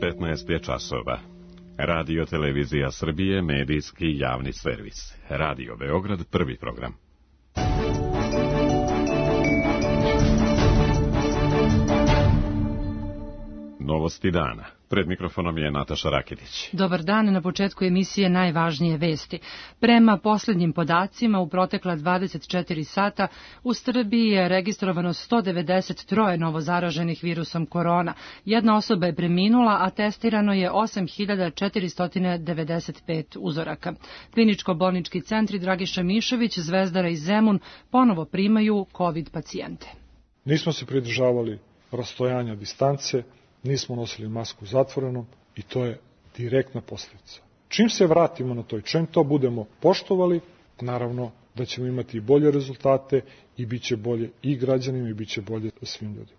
15 je časova. Radio Televizija Srbije, medijski javni servis. Radio Beograd, prvi program. Novosti dana. Pred mikrofonom je Nataša Raketić. Dobar dan, na početku emisije najvažnije vesti. Prema poslednjim podacima, u protekla 24 sata u Srbiji je registrovano 193 novozaraženih virusom korona. Jedna osoba je preminula, a testirano je 8495 uzoraka. Kliničko-bolnički centri Dragiša Mišović, Zvezdara i Zemun ponovo primaju COVID pacijente. Nismo se pridržavali rastojanja, distance, nismo nosili masku zatvorenom i to je direktna posljedica. Čim se vratimo na to i čim to budemo poštovali, naravno da ćemo imati i bolje rezultate i bit će bolje i građanima i bit će bolje svim ljudima.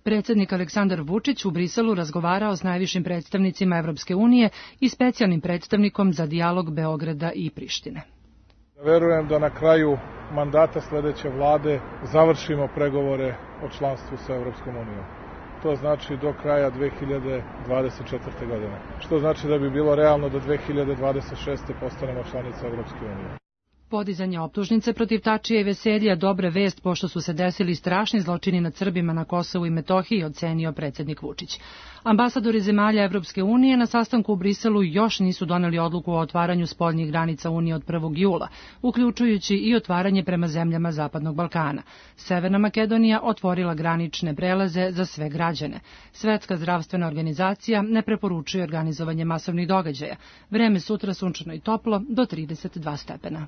Predsjednik Aleksandar Vučić u Briselu razgovarao s najvišim predstavnicima Evropske unije i specijalnim predstavnikom za dijalog Beograda i Prištine. Verujem da na kraju mandata sledeće vlade završimo pregovore o članstvu sa Evropskom unijom. To znači do kraja 2024. godine. Što znači da bi bilo realno do 2026. postanemo članica Evropske unije. Podizanje optužnice protiv Tačija i Veselja dobra vest pošto su se desili strašni zločini nad Srbima na Kosovu i Metohiji, ocenio predsjednik Vučić. Ambasadori zemalja Evropske unije na sastanku u Briselu još nisu doneli odluku o otvaranju spoljnih granica Unije od 1. jula, uključujući i otvaranje prema zemljama Zapadnog Balkana. Severna Makedonija otvorila granične prelaze za sve građane. Svetska zdravstvena organizacija ne preporučuje organizovanje masovnih događaja. Vreme sutra sunčano i toplo do 32 stepena.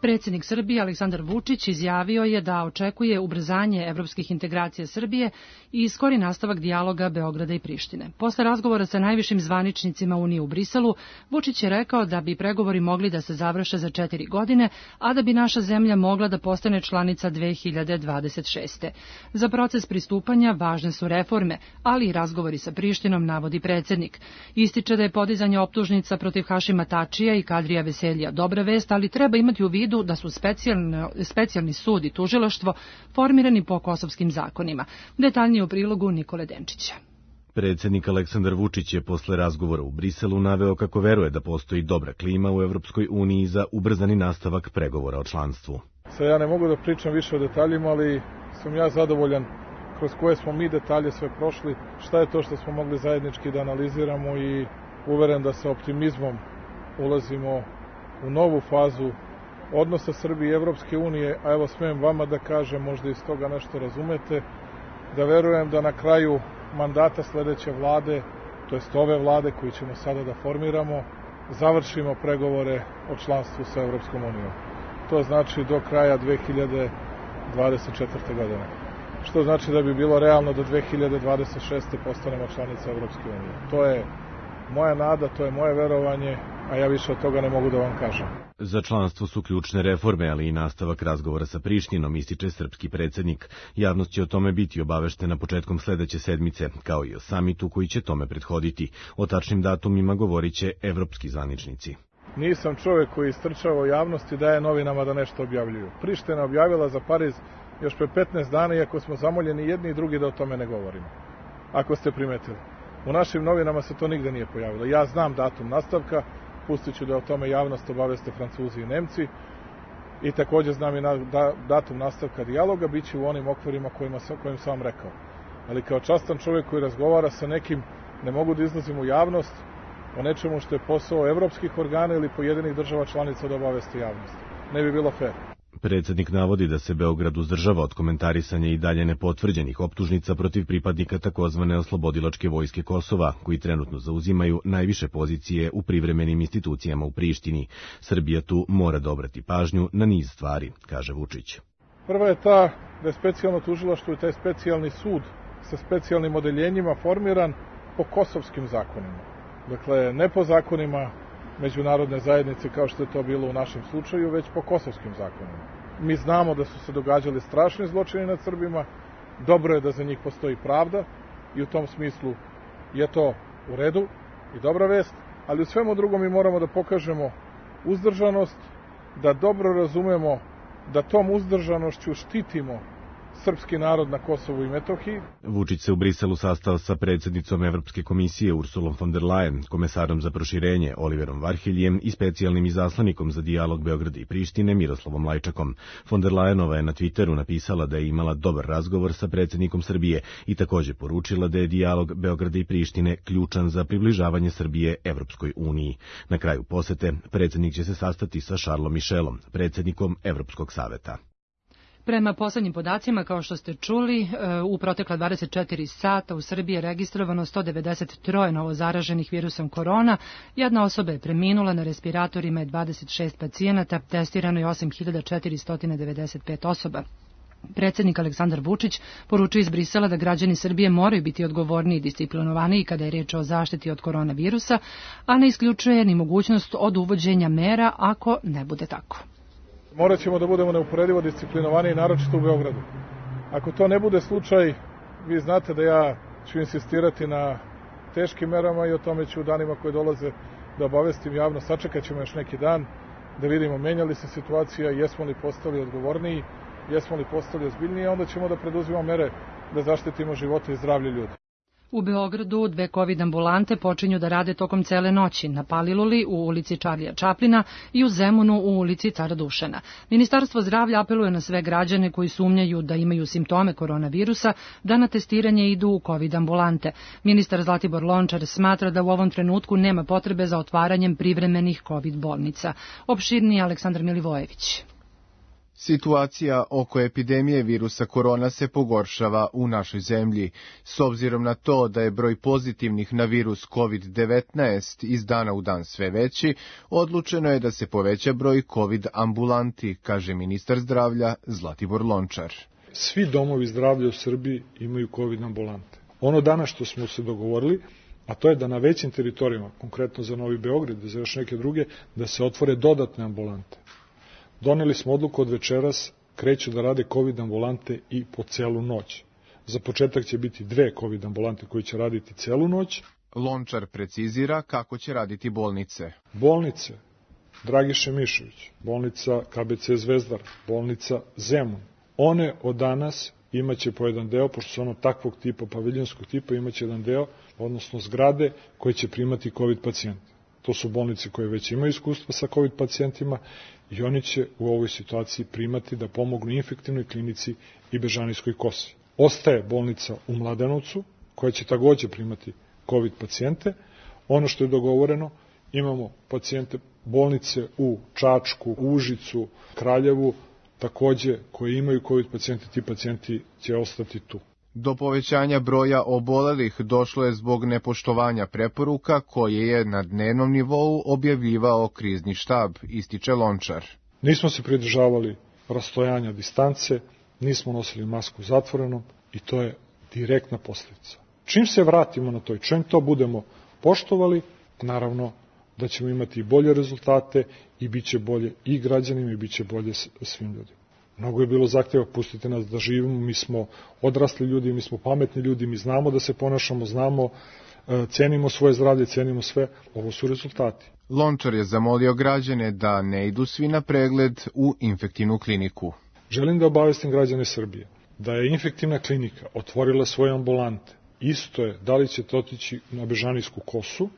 Predsjednik Srbije Aleksandar Vučić izjavio je da očekuje ubrzanje evropskih integracija Srbije i skori nastavak dijaloga Beograda i Prištine. Posle razgovora sa najvišim zvaničnicima Unije u Briselu, Vučić je rekao da bi pregovori mogli da se završe za 4 godine, a da bi naša zemlja mogla da postane članica 2026. Za proces pristupanja važne su reforme, ali i razgovori sa Prištinom, navodi predsjednik. Ističe da je podizanje optužnica protiv Hašima Tačija i Kadrija Veselja dobra vest, ali treba imati u vidu da su specijalni sud i tužilaštvo formirani po kosovskim zakonima. Detaljnije u prilogu Nikole Denčića. Predsjednik Aleksandar Vučić je posle razgovora u Briselu naveo kako veruje da postoji dobra klima u Evropskoj uniji za ubrzani nastavak pregovora o članstvu. Sad ja ne mogu da pričam više o detaljima, ali sam ja zadovoljan kroz koje smo mi detalje sve prošli, šta je to što smo mogli zajednički da analiziramo i uveren da sa optimizmom ulazimo u novu fazu odnosa Srbije i Evropske unije, a evo smijem vama da kažem, možda iz toga nešto razumete, da verujem da na kraju mandata sledeće vlade, to jest ove vlade koju ćemo sada da formiramo, završimo pregovore o članstvu sa Evropskom unijom. To znači do kraja 2024. godine. Što znači da bi bilo realno do 2026. postanemo članica Evropske unije. To je moja nada, to je moje verovanje, a ja više od toga ne mogu da vam kažem. Za članstvo su ključne reforme, ali i nastavak razgovora sa Prištinom, ističe srpski predsjednik. Javnost će o tome biti obaveštena početkom sledeće sedmice, kao i o samitu koji će tome prethoditi. O tačnim datumima govorit će evropski zvaničnici. Nisam čovjek koji istrčava u javnosti i daje novinama da nešto objavljuju. Priština objavila za Pariz još pre 15 dana, iako smo zamoljeni jedni i drugi da o tome ne govorimo. Ako ste primetili. U našim novinama se to nigde nije pojavilo. Ja znam datum nastavka, pustit ću da o tome javnost obaveste Francuzi i Nemci i također znam i datum nastavka dijaloga, bit će u onim okvirima kojim sam vam rekao. Ali kao častan čovjek koji razgovara sa nekim, ne mogu da izlazim u javnost o nečemu što je posao evropskih organa ili pojedinih država članica da obaveste javnost. Ne bi bilo fair. Predsjednik navodi da se Beograd uzdržava od komentarisanja i dalje nepotvrđenih optužnica protiv pripadnika takozvane oslobodilačke vojske Kosova, koji trenutno zauzimaju najviše pozicije u privremenim institucijama u Prištini. Srbija tu mora da obrati pažnju na niz stvari, kaže Vučić. Prva je ta da je specijalno tužilaštvo i taj specijalni sud sa specijalnim odeljenjima formiran po kosovskim zakonima. Dakle, ne po zakonima međunarodne zajednice kao što je to bilo u našem slučaju, već po kosovskim zakonima. Mi znamo da su se događali strašni zločini nad Srbima, dobro je da za njih postoji pravda i u tom smislu je to u redu i dobra vest, ali u svemu drugom mi moramo da pokažemo uzdržanost, da dobro razumemo da tom uzdržanošću štitimo srpski narod na Kosovu i Metohiji. Vučić se u Briselu sastao sa predsjednicom Evropske komisije Ursulom von der Leyen, komesarom za proširenje Oliverom Varheljem i specijalnim izaslanikom za dijalog Beograda i Prištine Miroslavom Lajčakom. Von der Leyenova je na Twitteru napisala da je imala dobar razgovor sa predsjednikom Srbije i također poručila da je dijalog Beograda i Prištine ključan za približavanje Srbije Evropskoj uniji. Na kraju posete predsjednik će se sastati sa Charlesom Michelom, predsjednikom Evropskog saveta. Prema poslednjim podacima, kao što ste čuli, u protekla 24 sata u Srbiji je registrovano 193 novozaraženih virusom korona, jedna osoba je preminula, na respiratorima je 26 pacijenata, testirano je 8495 osoba. Predsjednik Aleksandar Vučić poručuje iz Brisela da građani Srbije moraju biti odgovorniji i disciplinovaniji kada je reč o zaštiti od koronavirusa, a ne isključuje ni mogućnost od uvođenja mera ako ne bude tako. Morat ćemo da budemo neuporedivo disciplinovaniji, naročito u Beogradu. Ako to ne bude slučaj, vi znate da ja ću insistirati na teškim merama i o tome ću u danima koje dolaze da obavestim javno. Sačekat ćemo još neki dan da vidimo menja li se situacija, jesmo li postali odgovorniji, jesmo li postali ozbiljniji, a onda ćemo da preduzimamo mere da zaštitimo živote i zdravlje ljudi. U Beogradu 2 COVID ambulante počinju da rade tokom cele noći, na Paliluli u ulici Čarlija Čaplina i u Zemunu u ulici Cara Dušana. Ministarstvo zdravlja apeluje na sve građane koji sumnjaju da imaju simptome koronavirusa da na testiranje idu u COVID ambulante. Ministar Zlatibor Lončar smatra da u ovom trenutku nema potrebe za otvaranjem privremenih COVID bolnica. Opširniji Aleksandar Milivojević. Situacija oko epidemije virusa korona se pogoršava u našoj zemlji. S obzirom na to da je broj pozitivnih na virus COVID-19 iz dana u dan sve veći, odlučeno je da se poveća broj COVID ambulanti, kaže ministar zdravlja Zlatibor Lončar. Svi domovi zdravlja u Srbiji imaju COVID ambulante. Ono danas što smo se dogovorili, a to je da na većim teritorijama, konkretno za Novi Beograd i za još neke druge, da se otvore dodatne ambulante. Doneli smo odluku od večeras, kreću da rade COVID ambulante i po celu noć. Za početak će biti 2 COVID ambulante koji će raditi celu noć. Lončar precizira kako će raditi bolnice. Bolnice Dragiše Mišović, bolnica KBC Zvezdar, bolnica Zemun. One od danas imaće po jedan deo, pošto su ono takvog tipa, paviljonskog tipa, imaće jedan deo, odnosno zgrade koje će primati COVID pacijente. To su bolnice koje već imaju iskustva sa COVID pacijentima i oni će u ovoj situaciji primati da pomognu infektivnoj klinici i Bežanijskoj kosi. Ostaje bolnica u Mladenovcu koja će takođe primati COVID pacijente. Ono što je dogovoreno, imamo pacijente bolnice u Čačku, Užicu, Kraljevu, takođe koje imaju COVID pacijente, ti pacijenti će ostati tu. Do povećanja broja obolelih došlo je zbog nepoštovanja preporuka koje je na dnevnom nivou objavljivao krizni štab, ističe Lončar. Nismo se pridržavali rastojanja distance, nismo nosili masku zatvorenom i to je direktna posljedica. Čim se vratimo na to i čim to budemo poštovali, naravno da ćemo imati i bolje rezultate i bit će bolje i građanima i bit će bolje svim ljudima. Mnogo je bilo zahtjeva, pustite nas da živimo, mi smo odrasli ljudi, mi smo pametni ljudi, mi znamo da se ponašamo, znamo, cenimo svoje zdravlje, cenimo sve, ovo su rezultati. Lončar je zamolio građane da ne idu svi na pregled u infektivnu kliniku. Želim da obavestim građane Srbije da je infektivna klinika otvorila svoje ambulante. Isto je da li ćete otići na Bežanijsku kosu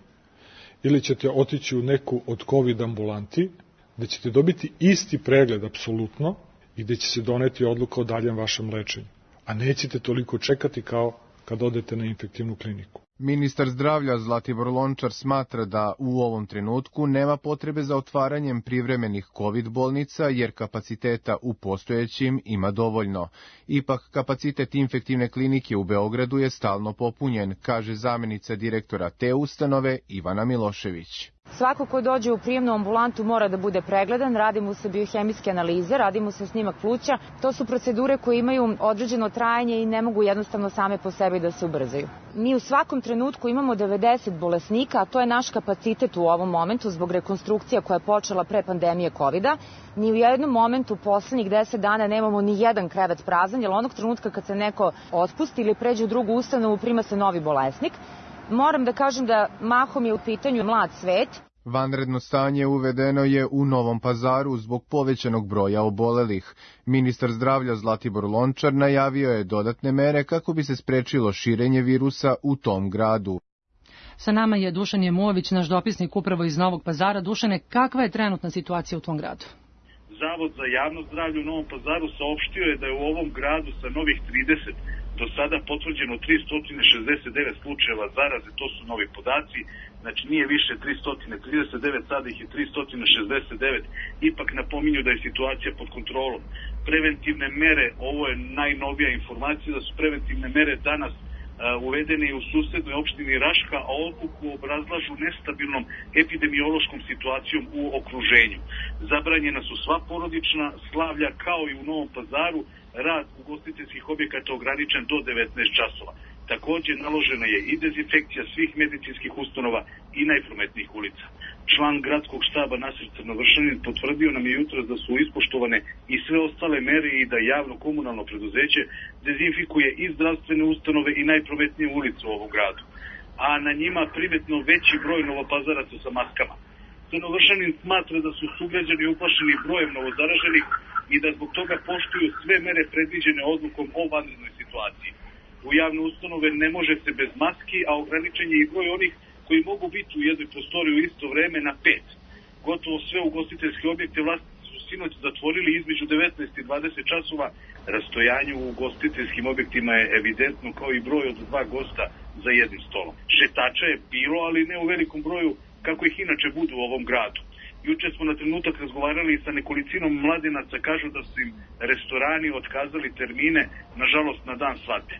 ili ćete otići u neku od COVID ambulanti, da ćete dobiti isti pregled apsolutno, i gde će se doneti odluka o daljem vašem lečenju. A nećete toliko čekati kao kad odete na infektivnu kliniku. Ministar zdravlja Zlatibor Lončar smatra da u ovom trenutku nema potrebe za otvaranjem privremenih COVID bolnica jer kapaciteta u postojećim ima dovoljno. Ipak kapacitet infektivne klinike u Beogradu je stalno popunjen, kaže zamjenica direktora te ustanove Ivana Milošević. Svako ko dođe u prijemnu ambulantu mora da bude pregledan, radi mu se biohemijske analize, radi mu se snimak pluća. To su procedure koje imaju određeno trajanje i ne mogu jednostavno same po sebi da se ubrzaju. Mi u svakom trenutku imamo 90 bolesnika, a to je naš kapacitet u ovom momentu zbog rekonstrukcija koja je počela pre pandemije COVID-a. Ni u jednom momentu poslednjih 10 dana nemamo ni jedan krevet prazan, jer onog trenutka kad se neko otpusti ili pređe u drugu ustanovu prima se novi bolesnik. Moram da kažem da mahom je u pitanju mlad svet. Vanredno stanje uvedeno je u Novom Pazaru zbog povećanog broja obolelih. Ministar zdravlja Zlatibor Lončar najavio je dodatne mere kako bi se sprečilo širenje virusa u tom gradu. Sa nama je Dušan Jemović, naš dopisnik upravo iz Novog Pazara. Dušane, kakva je trenutna situacija u tvom gradu? Zavod za javno zdravlje u Novom Pazaru saopštio je da je u ovom gradu sa novih 30 do sada potvrđeno 369 slučajeva zaraze, to su novi podaci, znači nije više 339, sada ih je 369, ipak napominju da je situacija pod kontrolom. Preventivne mere, ovo je najnovija informacija, da su preventivne mere danas uvedene u susednoj opštini Raška, a odluku obrazlažu nestabilnom epidemiološkom situacijom u okruženju. Zabranjena su sva porodična slavlja, kao i u Novom Pazaru, rad ugostiteljskih objekata ograničen do 19 časova. Također naložena je i dezinfekcija svih medicinskih ustanova i najprometnijih ulica. Član gradskog štaba Nasir Crnovršanin potvrdio nam je jutros da su ispoštovane i sve ostale mere i da javno komunalno preduzeće dezinfikuje i zdravstvene ustanove i najprometnije ulice u ovom gradu. A na njima primetno veći broj novopazaraca sa maskama. Crnovršanin smatra da su sugrađani uplašeni brojem novozaraženih i da zbog toga poštuju sve mere predviđene odlukom o vanrednoj situaciji. U javne ustanove ne može se bez maski, a ograničen je i broj onih koji mogu biti u jednoj prostoriji u isto vreme na 5. Gotovo sve ugostiteljske objekte vlasnici su sinoć zatvorili između 19 i 20 časova. Rastojanje u ugostiteljskim objektima je evidentno, kao i broj od 2 gosta za jednim stolom. Šetača je bilo, ali ne u velikom broju kako ih inače budu u ovom gradu. Juče smo na trenutak razgovarali sa nekolicinom mladenaca, kažu da su im restorani otkazali termine, nažalost na dan svadbe.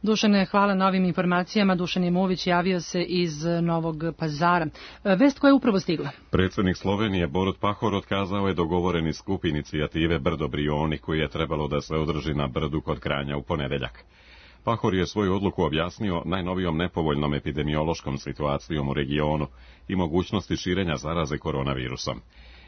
Dušane, hvala na ovim informacijama. Dušan Jemović javio se iz Novog Pazara. Vest koja je upravo stigla. Predsjednik Slovenije Borut Pahor otkazao je dogovoreni skup inicijative Brdo Brioni koji je trebalo da se održi na Brdu kod Kranja u ponedeljak. Pahor je svoju odluku objasnio najnovijom nepovoljnom epidemiološkom situacijom u regionu i mogućnosti širenja zaraze koronavirusom.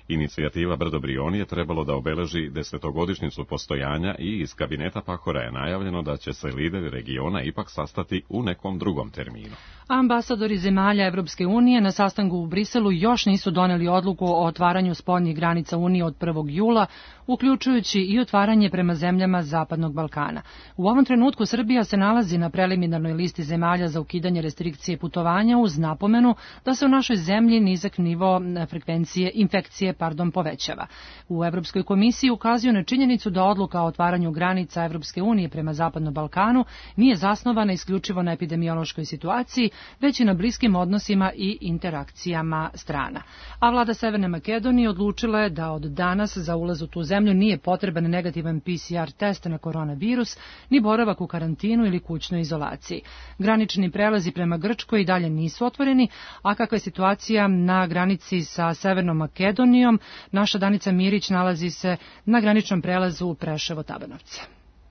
Inicijativa Brdo Brioni je trebalo da obeleži 10-godišnjicu postojanja i iz kabineta Pahora je najavljeno da će se lideri regiona ipak sastati u nekom drugom terminu. Ambasadori zemalja Evropske unije na sastanku u Briselu još nisu doneli odluku o otvaranju spoljnih granica Unije od 1. jula, uključujući i otvaranje prema zemljama Zapadnog Balkana. U ovom trenutku Srbija se nalazi na preliminarnoj listi zemalja za ukidanje restrikcije putovanja uz napomenu da se u našoj zemlji nizak nivo frekvencije infekcije povećava. U Evropskoj komisiji ukazuju na činjenicu da odluka o otvaranju granica Evropske unije prema Zapadnom Balkanu nije zasnovana isključivo na epidemiološkoj situaciji, već i na bliskim odnosima i interakcijama strana. A vlada Severne Makedonije odlučila je da od danas za ulaz u tu zemlju nije potreban negativan PCR test na koronavirus, ni boravak u karantinu ili kućnoj izolaciji. Granični prelazi prema Grčkoj i dalje nisu otvoreni, a kakva je situacija na granici sa Severnom Makedonijom, naša Danica Mirić nalazi se na graničnom prelazu Preševo-Tabanovce.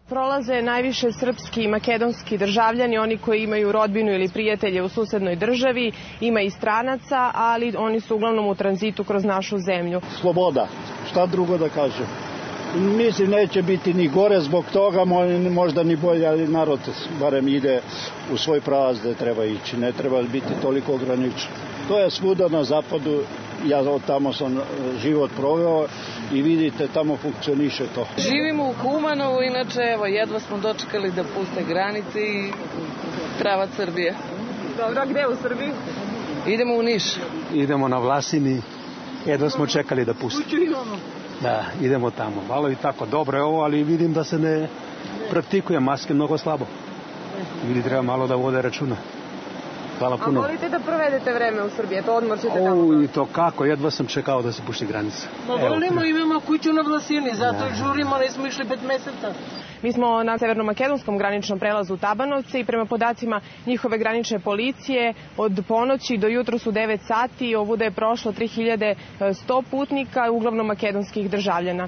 Prolaze najviše srpski i makedonski državljani, oni koji imaju rodbinu ili prijatelje u susednoj državi, ima i stranaca, ali oni su uglavnom u tranzitu kroz našu zemlju. Sloboda, šta drugo da kažem. Mislim, neće biti ni gore zbog toga, možda ni bolje, ali narod barem ide u svoj pravac da treba ići, ne treba biti toliko ograničen. To je svuda na zapadu, ja od tamo sam život proveo i vidite, tamo funkcioniše to. Živimo u Kumanovu, inače evo, jedva smo dočekali da puste granice i pravac Srbije. Dobro, gde u Srbiji? Idemo u Niš. Idemo na Vlasini, jedva smo čekali da puste. Kuću imamo. Da, idemo tamo. Malo i tako, dobro je ovo, ali vidim da se ne praktikuje, maske mnogo slabo. Ljudi treba malo da vode računa. Hvala puno. A volite da provedete vreme u Srbiji, to odmor ćete tamo? I to kako, jedva sam čekao da se pušti granica. Pa volimo, imamo kuću na Vlasini, zato žurimo, nismo išli 5 meseca. Mi smo na severno-makedonskom graničnom prelazu Tabanovce i prema podacima njihove granične policije od ponoći do jutros u 9 sati ovuda je prošlo 3100 putnika, uglavnom makedonskih državljana.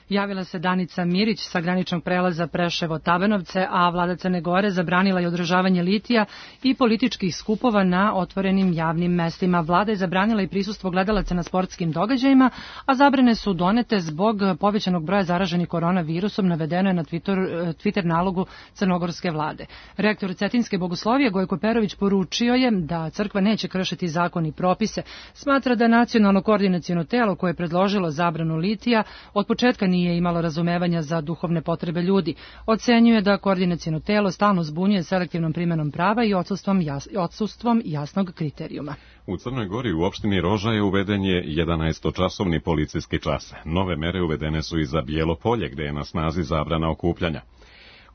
Javila se Danica Mirić sa graničnog prelaza Preševo-Tabanovce, a vlada Crne Gore zabranila je održavanje litija i političkih skupova na otvorenim javnim mestima. Vlada je zabranila i prisustvo gledalaca na sportskim događajima, a zabrane su donete zbog povećanog broja zaraženih koronavirusom, navedeno je na Twitter nalogu crnogorske vlade. Rektor Cetinjske bogoslovije Gojko Perović poručio je da crkva neće kršiti zakon i propise. Smatra da nacionalno koordinaciono telo koje je predložilo zabranu litija od početka nije imalo razumevanja za duhovne potrebe ljudi. Ocenjuje da koordinaciono telo stalno zbunjuje selektivnom primenom prava i odsustvom jasnog kriterijuma. U Crnoj Gori u opštini Rožaje uveden je 11-časovni policijski čas. Nove mere uvedene su i za Bijelo Polje, gde je na snazi zabrana okupljanja.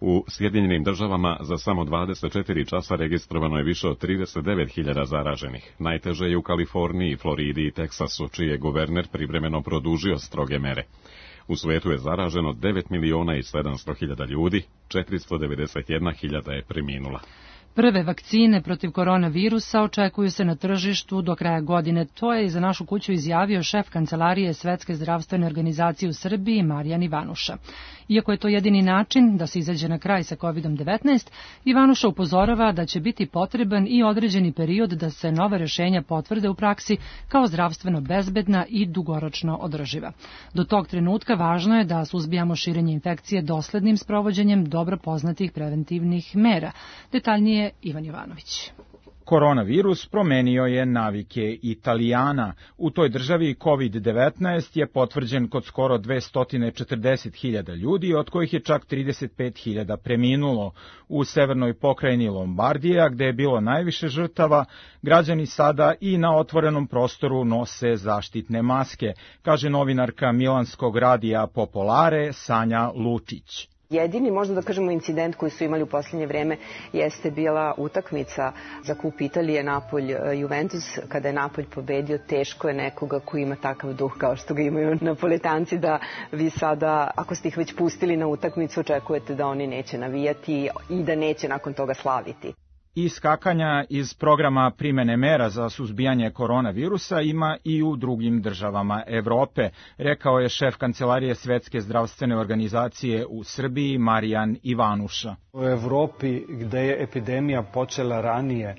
U Sjedinjenim državama za samo 24 časa registrovano je više od 39.000 zaraženih. Najteže je u Kaliforniji, Floridi i Teksasu, čiji je guverner privremeno produžio stroge mere. U svetu je zaraženo 9.700.000 ljudi, 491.000 je preminula. Prve vakcine protiv koronavirusa očekuju se na tržištu do kraja godine. To je i za našu kuću izjavio šef kancelarije Svetske zdravstvene organizacije u Srbiji Marijan Ivanuša. Iako je to jedini način da se izađe na kraj sa COVID-19, Ivanuša upozorava da će biti potreban i određeni period da se nova rešenja potvrde u praksi kao zdravstveno bezbedna i dugoročno održiva. Do tog trenutka važno je da suzbijamo širenje infekcije doslednim sprovođenjem dobro poznatih preventivnih mera. Detaljnije Ivan Jovanović. Koronavirus promenio je navike Italijana. U toj državi COVID-19 je potvrđen kod skoro 240.000 ljudi, od kojih je čak 35.000 preminulo. U severnoj pokrajini Lombardija, gde je bilo najviše žrtava, građani sada i na otvorenom prostoru nose zaštitne maske, kaže novinarka milanskog radija Popolare Sanja Lučić. Jedini, možda da kažemo, incident koji su imali u posljednje vreme jeste bila utakmica za kup Italije Napolj-Juventus. Kada je Napolj pobedio, teško je nekoga koji ima takav duh kao što ga imaju Napoletanci, da vi sada, ako ste ih već pustili na utakmicu, očekujete da oni neće navijati i da neće nakon toga slaviti. Iskakanja iz programa primene mera za suzbijanje koronavirusa ima i u drugim državama Evrope, rekao je šef kancelarije Svetske zdravstvene organizacije u Srbiji Marijan Ivanuša. U Evropi, gde je epidemija počela ranije,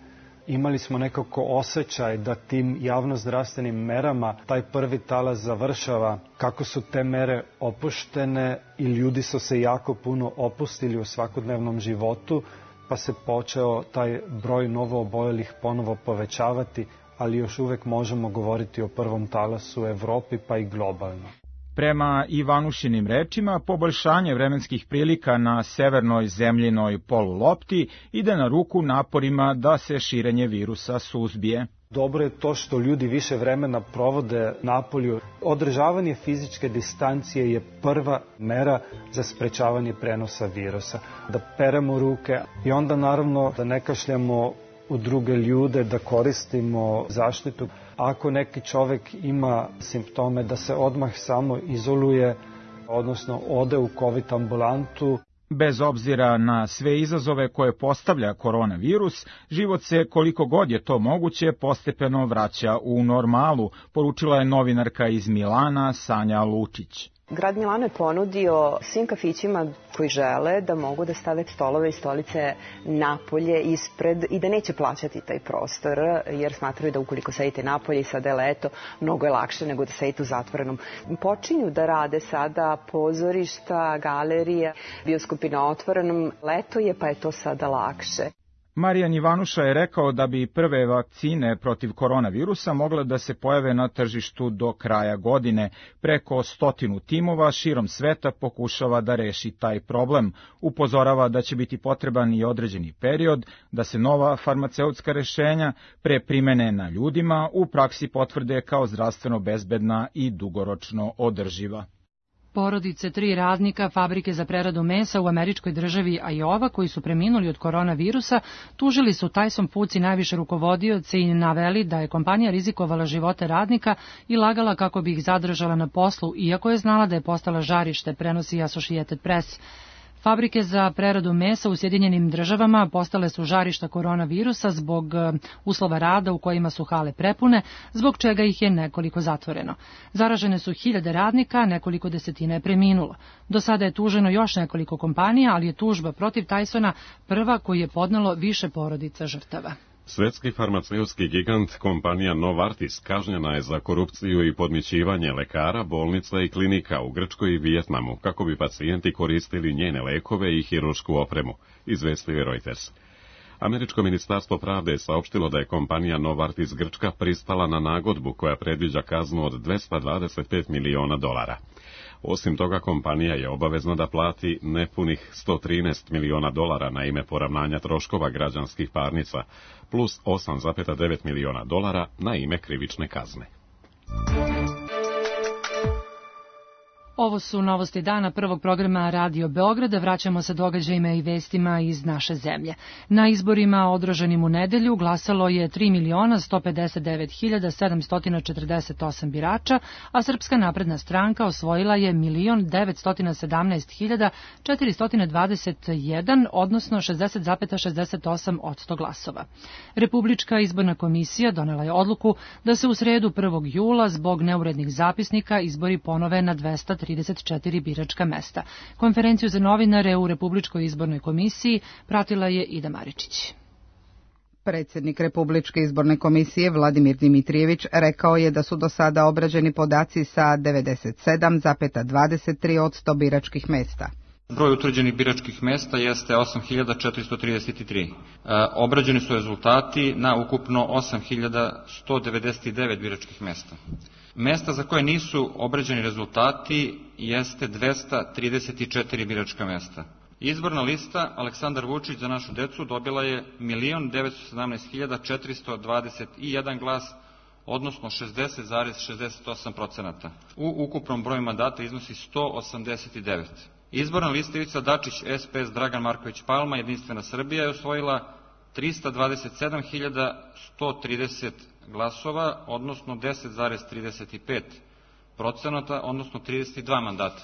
imali smo nekako osjećaj da tim javnozdravstvenim merama taj prvi talas završava. Kako su te mere opuštene i ljudi su se jako puno opustili u svakodnevnom životu, pa se počeo taj broj novoobolelih ponovo povećavati, ali još uvek možemo govoriti o prvom talasu u Evropi pa i globalno. Prema Ivanušinim rečima, poboljšanje vremenskih prilika na severnoj zemljinoj polulopti ide na ruku naporima da se širenje virusa suzbije. Dobro je to što ljudi više vremena provode napolju. Održavanje fizičke distancije je prva mera za sprečavanje prenosa virusa. Da peremo ruke i onda naravno da ne kašljamo u druge ljude, da koristimo zaštitu. Ako neki čovek ima simptome, da se odmah samo izoluje, odnosno ode u COVID ambulantu. Bez obzira na sve izazove koje postavlja koronavirus, život se, koliko god je to moguće, postepeno vraća u normalu, poručila je novinarka iz Milana Sanja Lučić. Grad Milano je ponudio svim kafićima koji žele da mogu da stave stolove i stolice napolje ispred i da neće plaćati taj prostor, jer smatraju da ukoliko sedite napolje i sada je leto, mnogo je lakše nego da sedite u zatvorenom. Počinju da rade sada pozorišta, galerije, bioskopi na otvorenom. Leto je, pa je to sada lakše. Marijan Ivanuša je rekao da bi prve vakcine protiv koronavirusa mogle da se pojave na tržištu do kraja godine. Preko 100 timova širom sveta pokušava da reši taj problem. Upozorava da će biti potreban i određeni period da se nova farmaceutska rešenja pre primene na ljudima u praksi potvrde kao zdravstveno bezbedna i dugoročno održiva. Porodice 3 radnika fabrike za preradu mesa u američkoj državi Iowa koji su preminuli od koronavirusa tužili su Tyson Foods i najviše rukovodioce i naveli da je kompanija rizikovala živote radnika i lagala kako bi ih zadržala na poslu, iako je znala da je postala žarište, prenosi Associated Press. Fabrike za preradu mesa u Sjedinjenim Državama postale su žarišta koronavirusa zbog uslova rada u kojima su hale prepune, zbog čega ih je nekoliko zatvoreno. Zaražene su hiljade radnika, nekoliko desetina je preminulo. Do sada je tuženo još nekoliko kompanija, ali je tužba protiv Tysona prva koju je podnelo više porodica žrtava. Svetski farmaceutski gigant kompanija Novartis kažnjena je za korupciju i podmićivanje lekara, bolnica i klinika u Grčkoj i Vijetnamu, kako bi pacijenti koristili njene lekove i hiruršku opremu, izvestio je Reuters. Američko ministarstvo pravde je saopštilo da je kompanija Novartis Grčka pristala na nagodbu koja predviđa kaznu od $225 miliona. Osim toga, kompanija je obavezna da plati nepunih $113 miliona na ime poravnanja troškova građanskih parnica, plus $8,9 miliona na ime krivične kazne. Ovo su novosti dana prvog programa Radio Beograda. Vraćamo se događajima i vestima iz naše zemlje. Na izborima održanim u nedelju glasalo je 3.159.748 birača, a Srpska napredna stranka osvojila je 1.917.421, odnosno 60,68% glasova. Republička izborna komisija donela je odluku da se u sredu 1. jula zbog neurednih zapisnika izbori ponove na 234 biračka mesta. Konferenciju za novinare u Republičkoj izbornoj komisiji pratila je Ida Maričić. Predsjednik Republičke izborne komisije Vladimir Dimitrijević rekao je da su do sada obrađeni podaci sa 97,23% biračkih mesta. Broj utvrđenih biračkih mesta jeste 8.433. Obrađeni su rezultati na ukupno 8.199 biračkih mesta. Mesta za koje nisu obrađeni rezultati jeste 234 biračka mesta. Izborna lista Aleksandar Vučić za našu decu dobila je 1.917.421 glas, odnosno 60,68%. U ukupnom broju mandata iznosi 189. Izborna lista Ivica Dačić, SPS Dragan Marković Palma, Jedinstvena Srbija je osvojila 327.130 glasova, odnosno 10,35%, odnosno 32 mandata.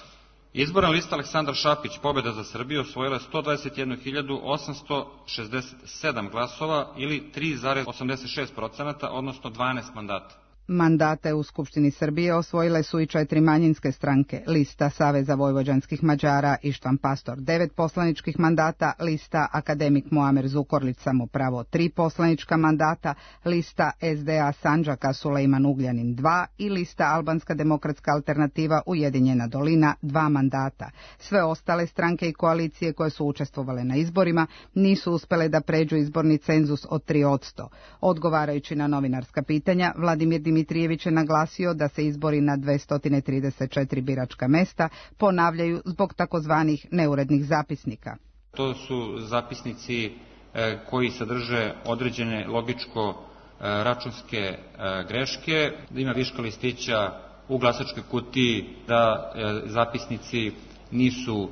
Izborna lista Aleksandar Šapić, Pobjeda za Srbiju, osvojila je 121.867 glasova ili 3,86%, odnosno 12 mandata. Mandate u Skupštini Srbije osvojile su i 4 manjinske stranke, lista Saveza vojvođanskih Mađara Ištvan Pastor 9 poslaničkih mandata, lista Akademik Muamer Zukorlić Samopravo 3 poslanička mandata, lista SDA Sandžaka Sulejman Ugljanin 2 i lista Albanska demokratska alternativa Ujedinjena dolina 2 mandata. Sve ostale stranke i koalicije koje su učestvovale na izborima nisu uspele da pređu izborni cenzus od 3%. Odgovarajući na novinarska pitanja, Vladimir Dimitrijević je naglasio da se izbori na 234 biračka mesta ponavljaju zbog takozvanih neurednih zapisnika. To su zapisnici koji sadrže određene logičko-računske greške, da ima viška listića u glasačkoj kutiji, da zapisnici nisu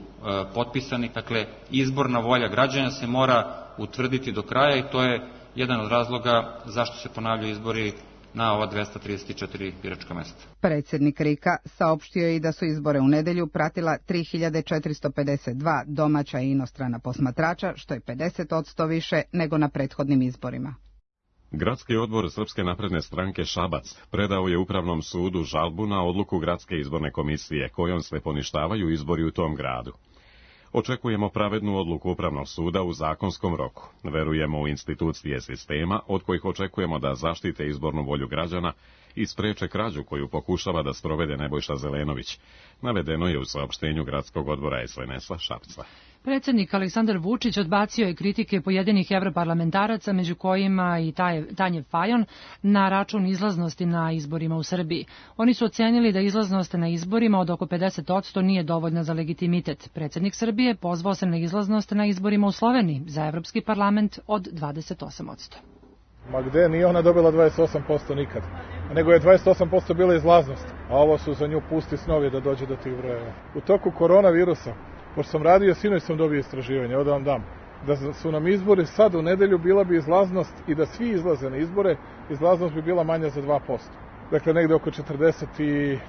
potpisani. Dakle, izborna volja građana se mora utvrditi do kraja i to je jedan od razloga zašto se ponavljaju izbori na ova 234 biračka mesta. Predsjednik RIK-a saopštio je i da su izbore u nedelju pratila 3452 domaća i inostrana posmatrača, što je 50% više nego na prethodnim izborima. Gradski odbor Srpske napredne stranke Šabac predao je Upravnom sudu žalbu na odluku Gradske izborne komisije kojom se poništavaju izbori u tom gradu. Očekujemo pravednu odluku Upravnog suda u zakonskom roku. Verujemo u institucije sistema od kojih očekujemo da zaštite izbornu volju građana i spreče krađu koju pokušava da sprovede Nebojša Zelenović. Navedeno je u saopštenju Gradskog odbora SNS-a Šapca. Predsjednik Aleksandar Vučić odbacio je kritike pojedinih evroparlamentaraca, među kojima i Tanje Fajon, na račun izlaznosti na izborima u Srbiji. Oni su ocenili da izlaznost na izborima od oko 50% nije dovoljna za legitimitet. Predsjednik Srbije pozvao se na izlaznost na izborima u Sloveniji za Evropski parlament od 28%. Ma gde, nije ona dobila 28% nikad, nego je 28% bila izlaznost, a ovo su za nju pusti snovi da dođe do tih brojeva. U toku koronavirusa, pošto sam radio, sinoć sam dobio istraživanje, ovdje vam dam, da su nam izbori sad u nedelju, bila bi izlaznost i da svi izlaze na izbore, izlaznost bi bila manja za 2%. Dakle, negde oko 48%.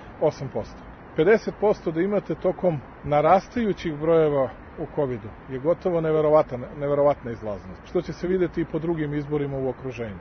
50% da imate tokom narastajućih brojeva u COVID-u je gotovo neverovatna izlaznost, što će se videti i po drugim izborima u okruženju.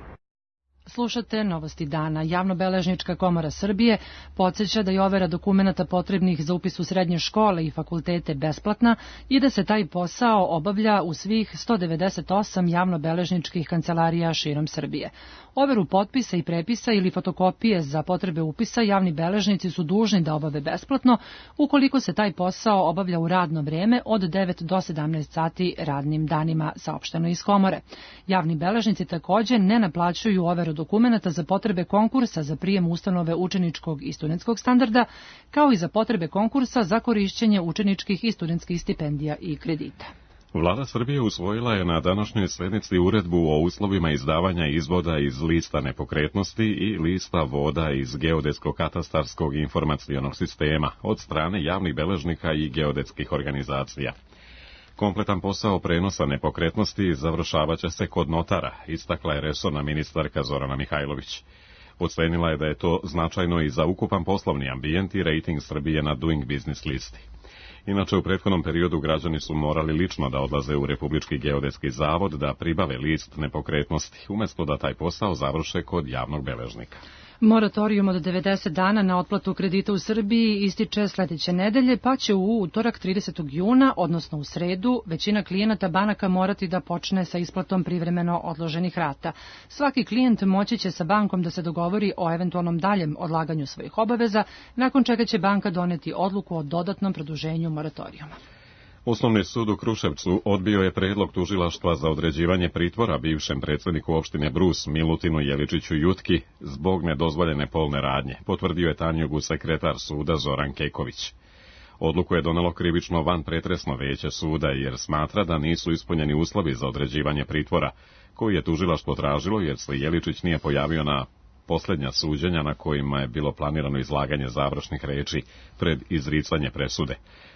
Slušate Novosti dana. Javnobeležnička komora Srbije podsjeća da je overa dokumenata potrebnih za upis u srednje škole i fakultete besplatna i da se taj posao obavlja u svih 198 javnobeležničkih kancelarija širom Srbije. Overu potpisa i prepisa ili fotokopije za potrebe upisa javni beležnici su dužni da obave besplatno ukoliko se taj posao obavlja u radno vreme od 9 do 17 sati radnim danima, saopšteno iz komore. Javni beležnici takođe ne naplaćuju overu dokumenata za potrebe konkursa za prijem ustanove učeničkog i studentskog standarda, kao i za potrebe konkursa za korišćenje učeničkih i studentskih stipendija i kredita. Vlada Srbije usvojila je na današnjoj sednici uredbu o uslovima izdavanja izvoda iz lista nepokretnosti i lista voda iz geodetsko-katastarskog informacionog sistema od strane javnih beležnika i geodetskih organizacija. Kompletan posao prenosa nepokretnosti završavaće se kod notara, istakla je resorna ministarka Zorana Mihajlović. Ocenila je da je to značajno i za ukupan poslovni ambijent i rejting Srbije na Doing Business listi. Inače, u prethodnom periodu građani su morali lično da odlaze u Republički geodetski zavod da pribave list nepokretnosti, umjesto da taj posao završe kod javnog beležnika. Moratorijum od 90 dana na otplatu kredita u Srbiji ističe sledeće nedelje, pa će u utorak 30. juna, odnosno u sredu, većina klijenata banaka morati da počne sa isplatom privremeno odloženih rata. Svaki klijent moći će sa bankom da se dogovori o eventualnom daljem odlaganju svojih obaveza, nakon čega će banka doneti odluku o dodatnom produženju moratorijuma. Osnovni sud u Kruševcu odbio je predlog tužilaštva za određivanje pritvora bivšem predsjedniku opštine Brus Milutinu Jeličiću Jutki zbog nedozvoljene polne radnje, potvrdio je Tanjugu sekretar suda Zoran Keković. Odluku je donelo krivično vanpretresno veće suda jer smatra da nisu ispunjeni uslovi za određivanje pritvora, koji je tužilaštvo tražilo jer se Jeličić nije pojavio na posljednja suđenja na kojima je bilo planirano izlaganje završnih reči pred izricanje presude.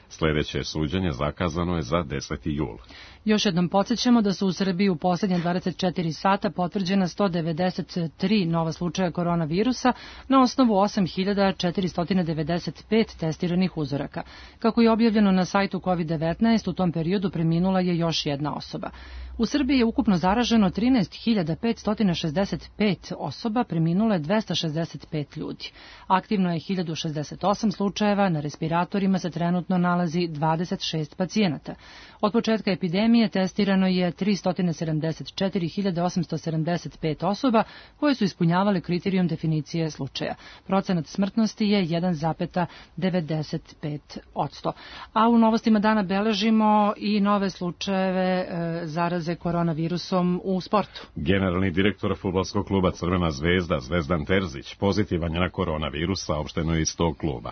Sljedeće suđenje zakazano je za 10. jul. Još jednom podsjećamo da su u Srbiji u posljednje 24 sata potvrđena 193 nova slučaja koronavirusa na osnovu 8.495 testiranih uzoraka. Kako je objavljeno na sajtu COVID-19, u tom periodu preminula je još jedna osoba. U Srbiji je ukupno zaraženo 13.565 osoba, preminulo je 265 ljudi. Aktivno je 1068 slučajeva, na respiratorima se trenutno nalazi 26 pacijenata. Od početka epidemije testirano je 374.875 osoba koje su ispunjavale kriterijum definicije slučaja. Procenat smrtnosti je 1,95%. A u novostima dana beležimo i nove slučajeve zaraze koronavirusom u sportu. Generalni direktor fudbalskog kluba Crvena zvezda Zvezdan Terzić pozitivan je na koronavirus, saopšteno je iz tog kluba.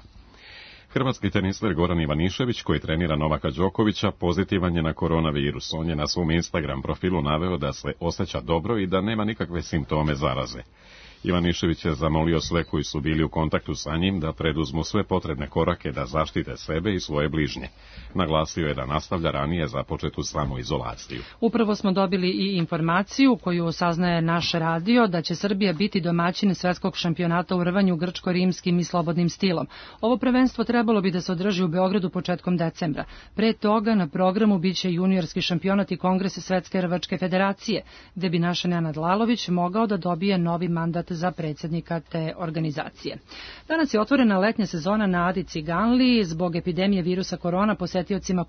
Hrvatski teniser Goran Ivanišević, koji trenira Novaka Đokovića, pozitivan je na koronavirus. On je na svom Instagram profilu naveo da se osjeća dobro i da nema nikakve simptome zaraze. Ivanišević je zamolio sve koji su bili u kontaktu sa njim da preduzmu sve potrebne korake da zaštite sebe i svoje bližnje. Naglasio je da nastavlja ranije započetu samoizolaciju. Upravo smo dobili i informaciju koju saznaje naš radio da će Srbija biti domaćin svetskog šampionata u rvanju grčko-rimskim i slobodnim stilom. Ovo prvenstvo trebalo bi da se održi u Beogradu početkom decembra. Pre toga na programu biće juniorski šampionat i kongres Svetske rvačke federacije, gde bi naš Nenad Lalović mogao da dobije novi mandat za predsjednika te organizacije. Danas je otvorena letnja sezona na Adi Ciganliji. Zbog epidemije virusa korona posetiocima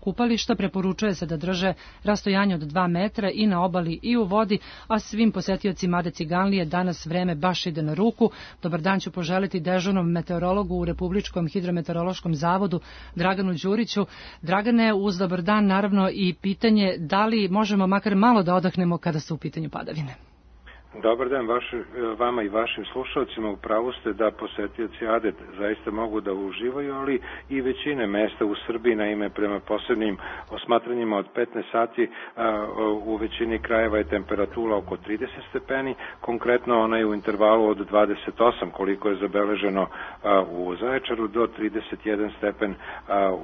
kupališta preporučuje se da drže rastojanje od 2 metra i na obali i u vodi, a svim posetiocima Ade Ciganlije danas vreme baš ide na ruku. Dobar dan ću poželiti dežurnom meteorologu u Republičkom hidrometeorološkom zavodu Draganu Đuriću. Dragane, uz dobar dan naravno i pitanje da li možemo makar malo da odahnemo kada su u pitanju padavine. Dobar dan vama i vašim slušalcima. Upravo ste da posetioci Ade zaista mogu da uživaju, ali i većine mesta u Srbiji, naime prema posebnim osmatranjima od 15 sati u većini krajeva je temperatura oko 30 stepeni, konkretno ona je u intervalu od 28 koliko je zabeleženo u Zaječaru do 31 stepen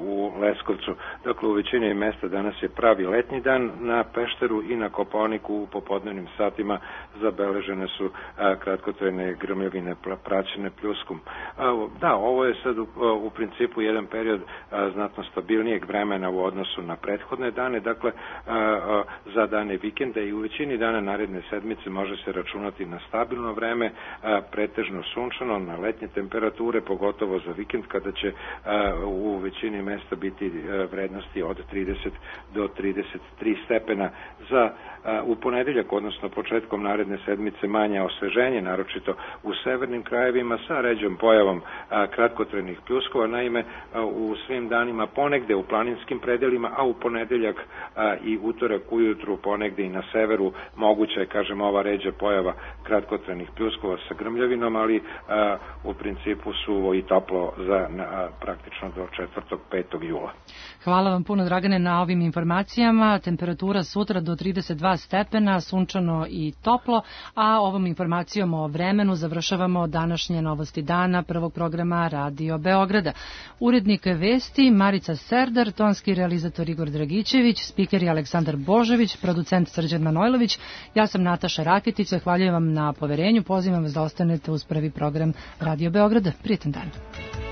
u Leskovcu. Dakle, u većini mesta danas je pravi letnji dan, na Pešteru i na Kopaoniku u popodnevnim satima zabeleženo zabeležene su kratkotrajne grmljavine praćene pljuskom. Da, ovo je sad u principu jedan period znatno stabilnijeg vremena u odnosu na prethodne dane, dakle za dane vikenda i u većini dana naredne sedmice može se računati na stabilno vreme, pretežno sunčano, na letnje temperature, pogotovo za vikend kada će u većini mesta biti vrednosti od 30 do 33 stepena. Za u ponedeljak, odnosno početkom naredne sedmice, manje osveženje, naročito u severnim krajevima sa ređom pojavom kratkotrajnih pljuskova. Naime, u svim danima ponegde u planinskim predelima, a u ponedeljak i utorak ujutru ponegde i na severu moguća je, kažem, ova ređa pojava kratkotrajnih pljuskova sa grmljavinom, ali u principu suvo i toplo za praktično do 4. 5. jula. Hvala vam puno, Dragane, na ovim informacijama. Temperatura sutra do 32 stepena, sunčano i toplo, a ovom informacijom o vremenu završavamo današnje Novosti dana prvog programa Radio Beograda. Urednik vesti Marica Serdar, tonski realizator Igor Dragićević, spiker je Aleksandar Božović, producent Srđan Manojlović, ja sam Nataša Raketić, zahvaljujem vam na poverenju, pozivam vas da ostanete uz prvi program Radio Beograda. Prijetan dan.